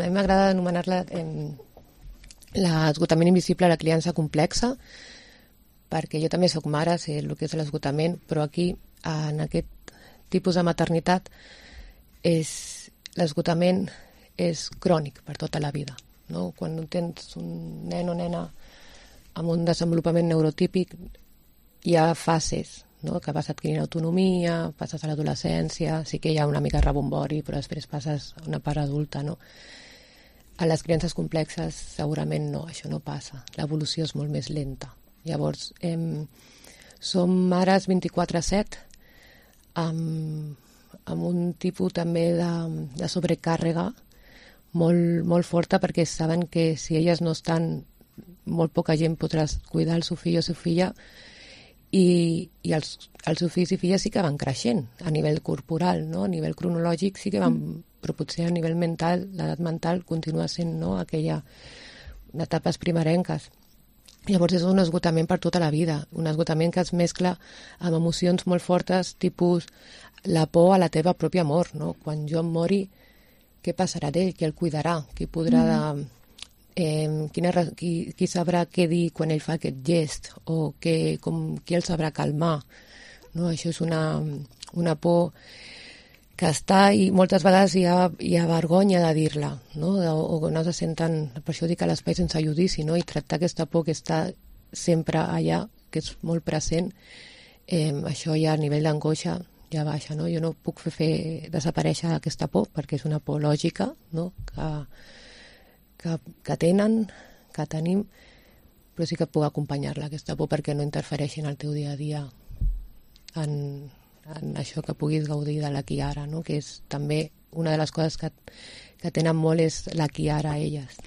A mi m'agrada anomenar-la l'esgotament invisible a la criança complexa, perquè jo també soc mare, sé el que és l'esgotament, però aquí, en aquest tipus de maternitat, l'esgotament és crònic per tota la vida. No? Quan tens un nen o nena amb un desenvolupament neurotípic, hi ha fases, no? Que vas adquirint autonomia, passes a l'adolescència, sí que hi ha una mica rebombori, però després passes a una part adulta, no? A les criances complexes segurament no, això no passa. L'evolució és molt més lenta. Llavors, som mares 24/7 amb un tipus també de sobrecàrrega molt, molt forta, perquè saben que si elles no estan, molt poca gent podrà cuidar el seu fill o la seva filla, i els seus fills i filles sí que van creixent a nivell corporal, no? A nivell cronològic sí que van, però potser a nivell mental, l'edat mental continua sent, no? Aquella d'etapes primerenques. Llavors és un esgotament per tota la vida, un esgotament que es mescla amb emocions molt fortes, tipus la por a la teva pròpia mort, no? Quan jo em mori, què passarà d'ell? Qui el cuidarà? Qui podrà... qui sabrà què dir quan ell fa aquest gest? O qui el sabrà calmar? No? Això és una por que està, i moltes vegades hi ha vergonya de dir-la, no? O no se senten, per això dic a l'espai sense judici, no? I tractar aquesta por que està sempre allà, que és molt present, això ja a nivell d'angoixa ja baixa, no? Jo no puc fer desaparèixer aquesta por, perquè és una por lògica, no? que tenen, que tenim, però sí que puc acompanyar-la, aquesta por, perquè no interfereixi en el teu dia a dia, en això que puguis gaudir de l'aquí i ara, no? Que és també una de les coses que tenen molt, és l'aquí i ara a elles.